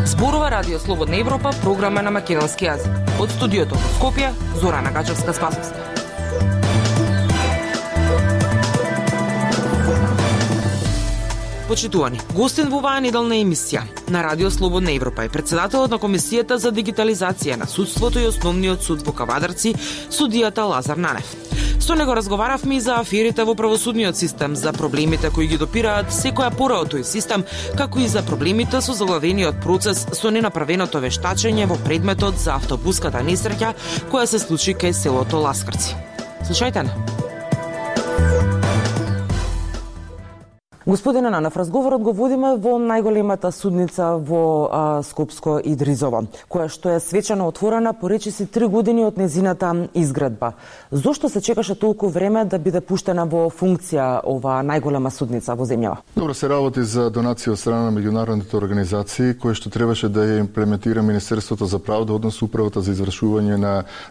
Зборува Радио Слободна Европа, програма на македонски јазик. Од студиото во Скопје, Зорана Гачевска-Спасовска. Почитувани, гостин во оваа неделна емисија на Радио Слободна Европа е председателот на Комисијата за дигитализација на судството и Основниот суд во Кавадарци, судијата Лазар Нанев. Со него разговаравме и за аферите во правосудниот систем, за проблемите кои ги допираат секоја пора од тој систем, како и за проблемите со заглавениот процес со ненаправеното вештачење во предметот за автобуската несреќа која се случи кај селото Ласкарци. Слушајте на. Господине Нанев, разговорот го водиме во најголемата судница во Скопско Идризово, која што е свечено отворена по речиси 3 години од незината изградба. Зошто се чекаше толку време да биде пуштена во функција ова најголема судница во земјава? Добро, се работи за донација од страна на меѓународните организации, кои што требаше да ја имплементира Министерството за правда, односно управата за извршување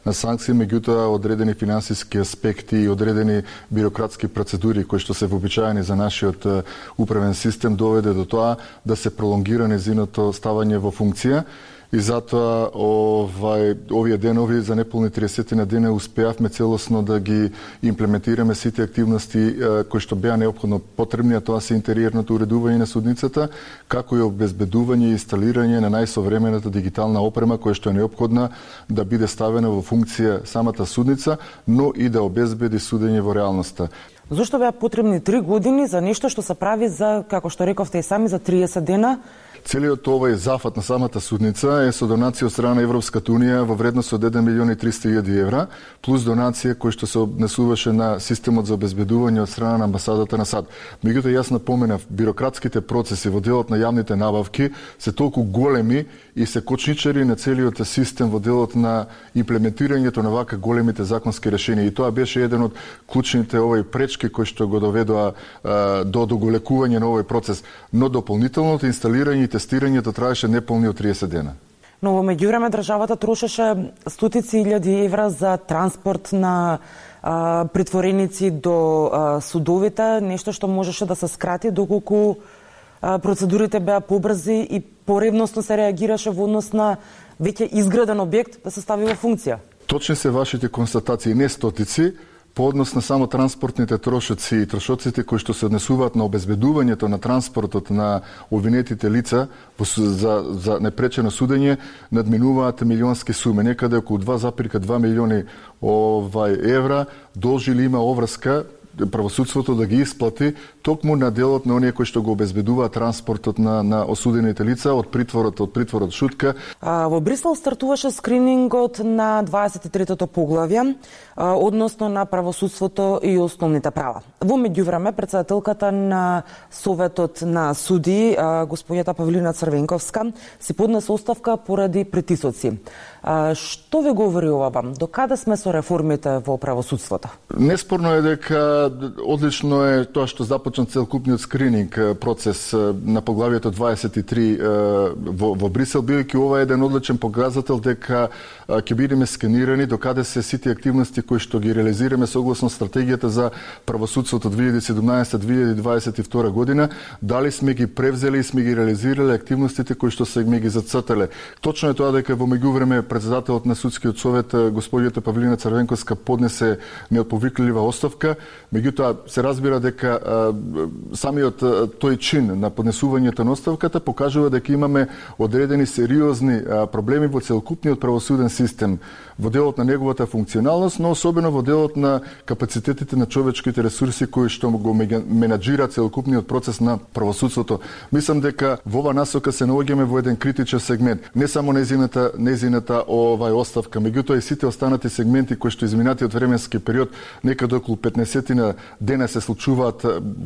на санкции, меѓутоа одредени финансиски аспекти и одредени бирократски процедури кои што се вообичаени за нашиот управен систем доведе до тоа да се пролонгира незиното ставање во функција и затоа овие денови за неполни 30 на дене успеавме целосно да ги имплементираме сите активности кои што беа неопходно потребни, а тоа се интериерното уредување на судницата, како и обезбедување и инсталирање на најсовремената дигитална опрема која што е неопходна да биде ставена во функција самата судница, но и да обезбеди судење во реалноста. Зошто беа потребни 3 години за нешто што се прави за, како што рековте и сами, за 30 дена? Целиот овој зафат на самата судница е со донација од страна на Европската унија во вредност од 1.300.000 евра, плюс донација кој што се однесуваше на системот за обезбедување од страна на амбасадата на САД. Меѓутоа јас напоменав, бирократските процеси во делот на јавните набавки се толку големи и се кочничари на целиот систем во делот на имплементирањето на вака големите законски решенија. И тоа беше еден од клучните пречки кои што го доведоа до доголекување на овој процес. Но дополнителното инсталирање и тестирањето траеше неполни од 30 дена. Но во меѓувреме државата трошеше стотици илјади евра за транспорт на притвореници до судовите, нешто што можеше да се скрати доколку процедурите беа побрзи и поревносно се реагираше во однос на веќе изграден објект да се стави во функција. Точни се вашите констатации, не стотици, по однос на само транспортните трошоци и трошоците кои што се однесуваат на обезбедувањето на транспортот на обвинетите лица за непречено судење, надминуваат милионски суми, некаде околу 2,2 милиони евра, должи ли има обврска правосудството да ги исплати токму на делот на оние кои што го обезбедуваат транспортот на осудените лица од притворот Шутка. Во Брисел стартуваше скринингот на 23-тото поглавје, односно на правосудството и основните права. Во меѓувреме, председателката на Советот на суди, господјата Павлина Црвенковска, си поднесе оставка поради притисоци. Што ви говори ова? До каде сме со реформите во правосудството? Неспорно е дека одлично е тоа што започна целокупниот скрининг процес на поглавието 23 во Брисел, бидејќи ова е еден одличен показател дека ќе бидеме сканирани до каде се сите активности кои што ги реализираме согласно стратегијата за правосудството 2017-2022 година, дали сме ги превзели и сме ги реализирале активностите кои што се ги зацртале. Точно е тоа дека во меѓувреме председателот на судскиот совет господјата Павлина Црвенковска поднесе неотповиклива оставка, меѓутоа се разбира дека самиот тој чин на поднесувањето на оставката покажува дека имаме одредени сериозни проблеми во целокупниот правосуден систем, во делот на неговата функционалност, но особено во делот на капацитетите на човечките ресурси кои што го менаџира целокупниот процес на правосудството. Мислам дека во ова насока се наоѓаме во еден критичен сегмент. Не само незината оставка, меѓутоа и сите останати сегменти кои што изминатиот временски период, некаде околу 15 година денес се случуваат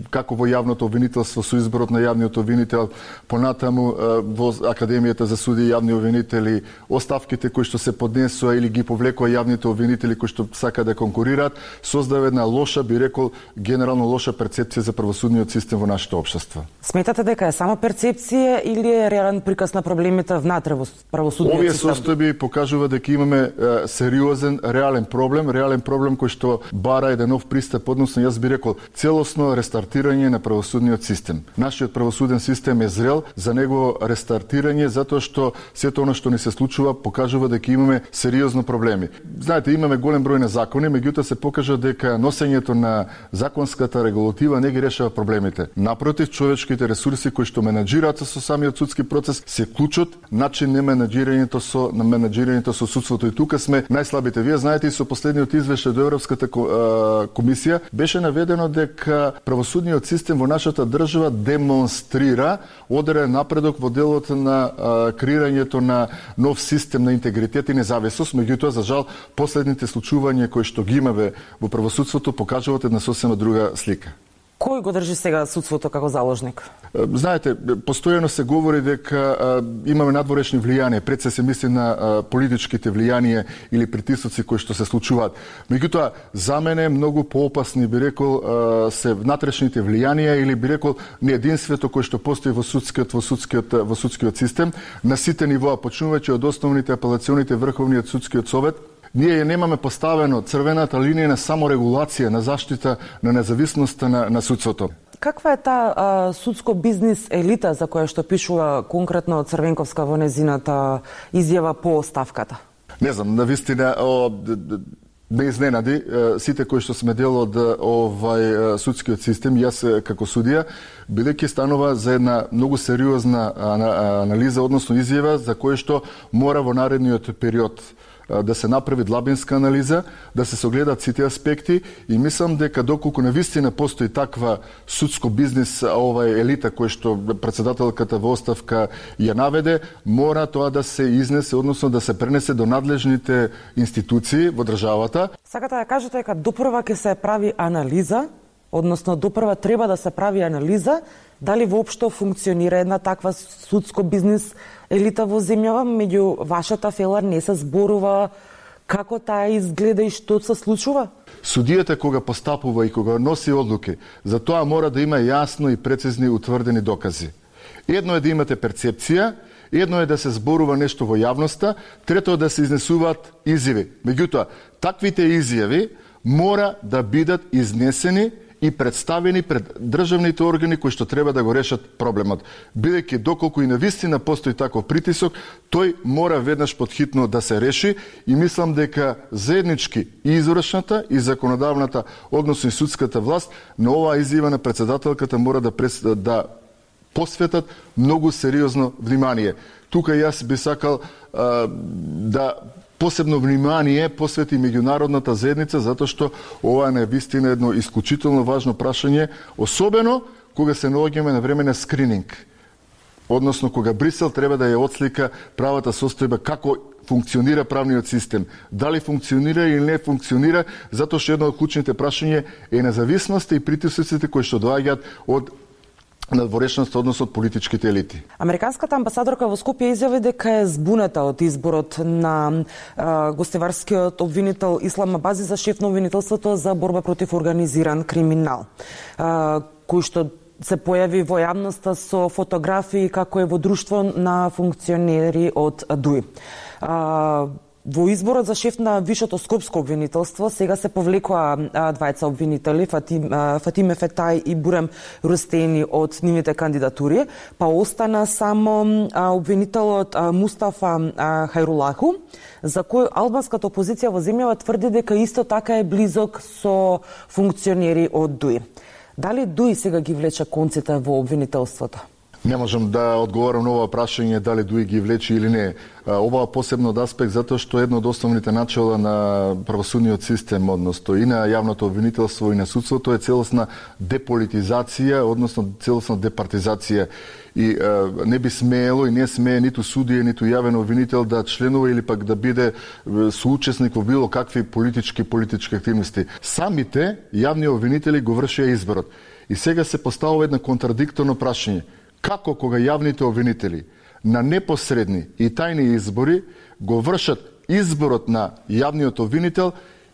како во јавното обвинителство со изборот на јавниот обвинител, понатаму во Академијата за суди и јавни обвинители, оставките кои што се поднесоа или ги повлекоа јавните обвинители кои што сака да конкурираат, создава една лоша, би рекол, генерално лоша перцепција за правосудниот систем во нашето општество. Сметате дека е само перцепција или е реален приказ на проблемите внатре во правосудниот Овие систем? состојби покажува дека имаме сериозен, реален проблем кој што бара еден нов пристап, односно јас би рекол целосно рестартирање на правосудниот систем. Нашиот правосуден систем е зрел за негово рестартирање затоа што сето она што ни се случува покажува дека имаме сериозно проблеми. Знаете, имаме голем број на закони, меѓутоа се покажа дека носењето на законската регулатива не ги решава проблемите. Напротив, човечките ресурси кои што менаџираат со самиот судски процес се клучот начин на менаџирањето со судството, и тука сме најслабите. Вие знаете, и со последниот извештај до Европската комисија беше наведено дека правосудниот систем во нашата држава демонстрира одреден напредок во делот на креирањето на нов систем на интегритет и независност, меѓутоа за жал последните случувања кои што ги имаме во правосудството покажуваат една сосема друга слика. Кој го држи сега судството како заложник? Знаете, постојано се говори дека имаме надворешни влијанија, пред се мисли на политичките влијанија или притисоци кои што се случуваат. Меѓутоа, за мене многу поопасни, би рекол, се внатрешните влијанија или би рекол неединството кој што постои во судскиот систем на сите нивоа, почнувајќи од основните апелационите Врховниот судскиот совет. Ние немаме поставено црвената линија на саморегулација, на заштита на независноста на судството. Каква е таа судско бизнис елита за која што пишува конкретно Црвенковска во незината изјава по оставката? Не знам, навистина не изненади сите кои што сме дел од судскиот систем, јас како судија, бидејќи станува за една многу сериозна анализа, односно изјава за која што мора во наредниот период да се направи длабинска анализа, да се согледат сите аспекти, и мислам дека доколку навистина постои таква судско бизнис елита која што председателката во оставка ја наведе, мора тоа да се изнесе, односно да се пренесе до надлежните институции во државата. Сакате да кажете дека допрва ќе се прави анализа, односно допрва треба да се прави анализа дали воопшто функционира една таква судско бизнис елита во земјава, меѓу вашата фела не се зборува како таа изгледа и што се случува? Судијата кога постапува и кога носи одлуки, за тоа мора да има јасно и прецизни утврдени докази. Едно е да имате перцепција, едно е да се зборува нешто во јавноста, трето е да се изнесуваат изјави. Меѓутоа, таквите изјави мора да бидат изнесени и представени пред државните органи кои што треба да го решат проблемот. Бидејќи доколку и навистина постои таков притисок, тој мора веднаш подхитно да се реши, и мислам дека заеднички и извршната и законодавната, односно и судската власт, на оваа изјава на председателката мора да посветат многу сериозно внимание. Тука јас би сакал да посебно внимание посвети меѓународната заедница, затоа што ова е навистина едно исклучително важно прашање, особено кога се наоѓаме на време на скрининг. Односно, кога Брисел треба да ја отслика правата состојба, како функционира правниот систем. Дали функционира или не функционира, затоа што едно од клучните прашања е независноста и притисоците кои што доаѓаат од надворешноста, односно од политичките елити. Американската амбасадорка во Скопје изјави дека е збуната од изборот на гостеварскиот обвинител Ислам Абази за шеф на обвинителството за борба против организиран криминал, кој што се појави во јавноста со фотографии како е во друштво на функционери од ДУИ. Во изборот за шеф на Вишото скопско обвинителство сега се повлекоа двајца обвинители, Фатиме Фетај и Бурем Рустени од нивните кандидатури, па остана само обвинителот Мустафа Хајрулаху, за кој албанската опозиција во земјава тврди дека исто така е близок со функционери од ДУИ. Дали ДУИ сега ги влече конците во обвинителството? Не можам да одговорам на ова прашање дали ДУИ ги влечи или не. Ова посебно од аспект затоа што едно од основните начела на правосудниот систем, односно и на јавното обвинителство и на судството е целосна деполитизација, односно целосна департизација. И не би смеело и не смее ниту судија, ниту јавен обвинител да членува или пак да биде соучесник во било какви политички активности. Самите јавни обвинители го вршеа изборот. И сега се поставува една контрадикторно прашање. Како кога јавните обвинители на непосредни и тајни избори го вршат изборот на јавниот обвинител,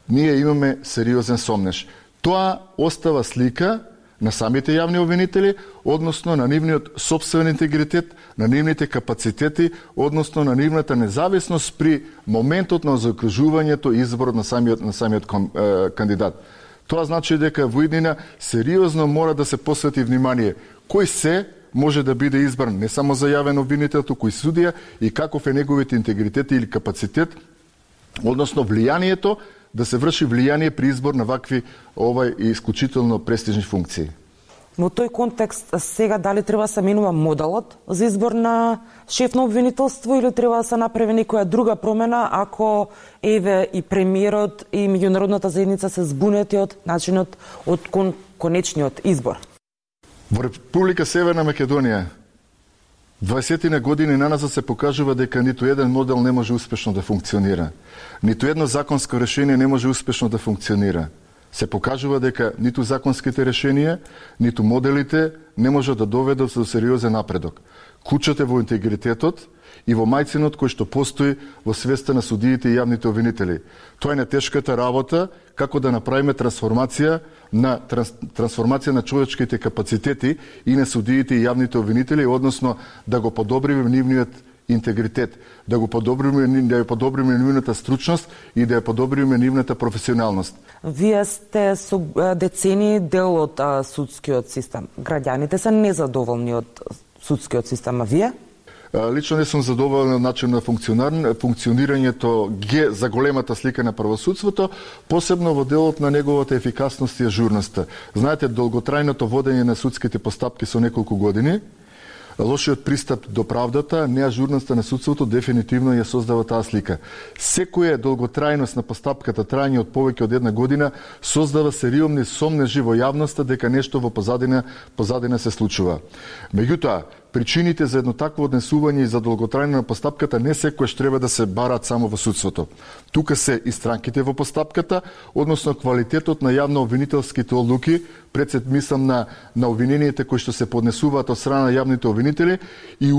ние имаме сериозен сомнеш. Тоа остава слика на самите јавни обвинители, односно на нивниот сопствен интегритет, на нивните капацитети, односно на нивната независност при моментот на закружувањето и изборот на самиот кандидат. Тоа значи дека во иднина сериозно мора да се посвети внимание кој се може да биде избран не само за јавен обвинител, туку и судија, и каков е неговите интегритет или капацитет, односно влијанието, да се врши влијание при избор на вакви исклучително престижни функции. Во тој контекст сега дали треба да се менува моделот за избор на шеф на обвинителство или треба да се направи некоја друга промена ако еве и премиерот и меѓународната заедница се збунети од начинот од конечниот избор? Во Република Северна Македонија 20 години наназад се покажува дека ниту еден модел не може успешно да функционира. Ниту едно законско решение не може успешно да функционира. Се покажува дека ниту законските решенија, ниту моделите не можат да доведат до сериозен напредок. Кучата во интегритетот и во мајцинот кој што постои во свеста на судиите и јавните обвинители. Тоа е нетешката работа како да направиме трансформација на човечките капацитети и на судиите и јавните обвинители, односно да го подобриме нивниот интегритет, да ја подобриме нивната стручност и да ја подобриме нивната професионалност. Вие сте со децени дел од судскиот систем. Граѓаните се незадоволни од судскиот систем, а вие? Лично не сум задоволен од начин на функционирањето за големата слика на правосудството, посебно во делот на неговата ефикасност и ажурноста. Знаете, долготрајното водење на судските постапки со неколку години, лошиот пристап до правдата, неажурноста на судството дефинитивно ја создава таа слика. Секоја долготрајност на постапката, трајање од повеќе од една година, создава сериозни сомнежи во јавноста дека нешто во позадина се случува. Меѓутоа, причините за едно такво однесување и за долготрајно на постапката не секојаш треба да се бараат само во судството. Тука се и странките во постапката, односно квалитетот на јавно-обвинителските одлуки, мислам на обвинениите кои што се поднесуваат од страна на јавните обвинители и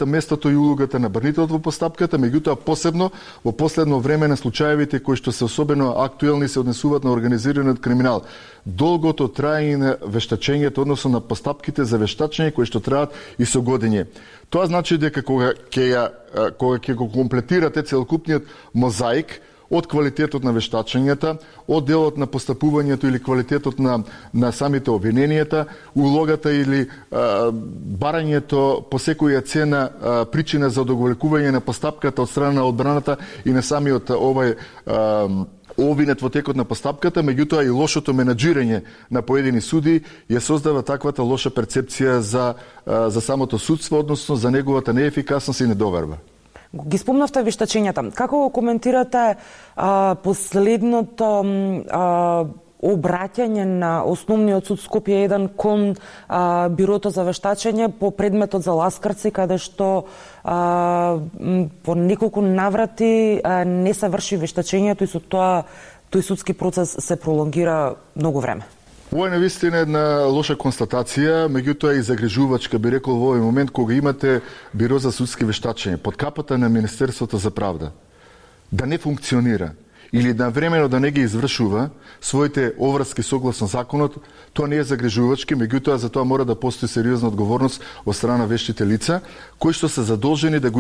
местото и улогата на брнителот во постапката, меѓутоа посебно во последно време на случаевите кои што се особено актуелни се однесуваат на организираниот криминал. Долгото траење на вештачењето, односно на постапките за вештачење кои што траат и со годиње. Тоа значи дека кога ќе го комплетирате целокупниот мозаик од квалитетот на вештачењата, од делот на постапувањето или квалитетот на самите обвиненијата, улогата или барањето по секоја цена причина за одоголекување на постапката од страна на одбраната и на самиот обвинет во текот на постапката, меѓутоа и лошото менаџирање на поедини суди ја создава таквата лоша перцепција за самото судство, односно за неговата неефикасност и недоверба. Ги спомнавте вештачењата. Како го коментирате последното обраќање на Основниот суд Скопје 1 кон Бирото за вештачење по предметот за ласкарци, каде што по неколку наврати не се врши вештачењето и со тоа тој судски процес се пролонгира многу време? Ова е навистина една лоша констатација, меѓутоа и загрижувачка, би рекол во овој момент кога имате Биро за судски вештачење под капата на Министерството за правда да не функционира или навремено да не ги извршува своите обврски согласно законот, тоа не е загрижувачки, меѓутоа за тоа мора да постои сериозна одговорност од страна на вештите лица, кои што се задолжени да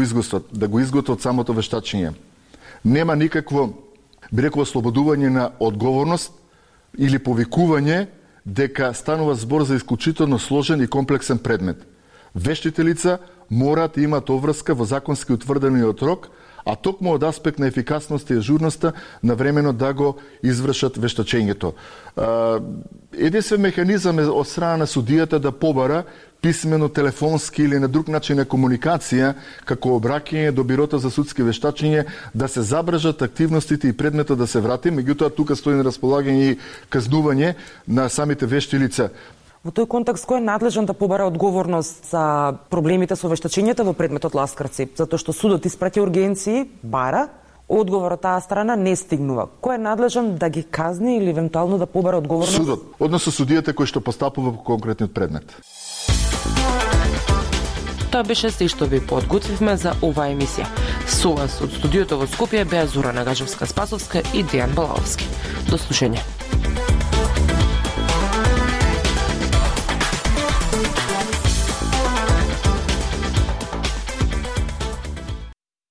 го изготват самото вештачење. Нема никакво, би рекол, ослободување на одговорност или повикување дека станува збор за исклучително сложен и комплексен предмет. Вештите лица мораат да имаат обврска во законски утврдениот рок, а токму од аспект на ефикасноста и ажурноста навремено да го извршат вештачењето. Единствен механизам е од страна на судијата да побара писмено, телефонски или на друг начин на комуникација, како обраќање до Бирото за судски вештачење, да се забрежат активностите и предметот да се врати, меѓутоа тука стои на располагање и казнување на самите вешти лица. Во тој контекст, кој е надлежен да побара одговорност за проблемите со вештачењето во предметот Ласкарци? Затоа што судот испрати ургенции, бара, одговор од таа страна не стигнува. Кој е надлежен да ги казни или евентуално да побара одговорност? Судот, односно судијата кој што постапува по конкретниот предмет. Тоа беше се што ви подготвивме за оваа емисија. Со вас од студиото во Скопје беа Зора Нагажевска-Спасовска и Дејан Балаовски. До слушање.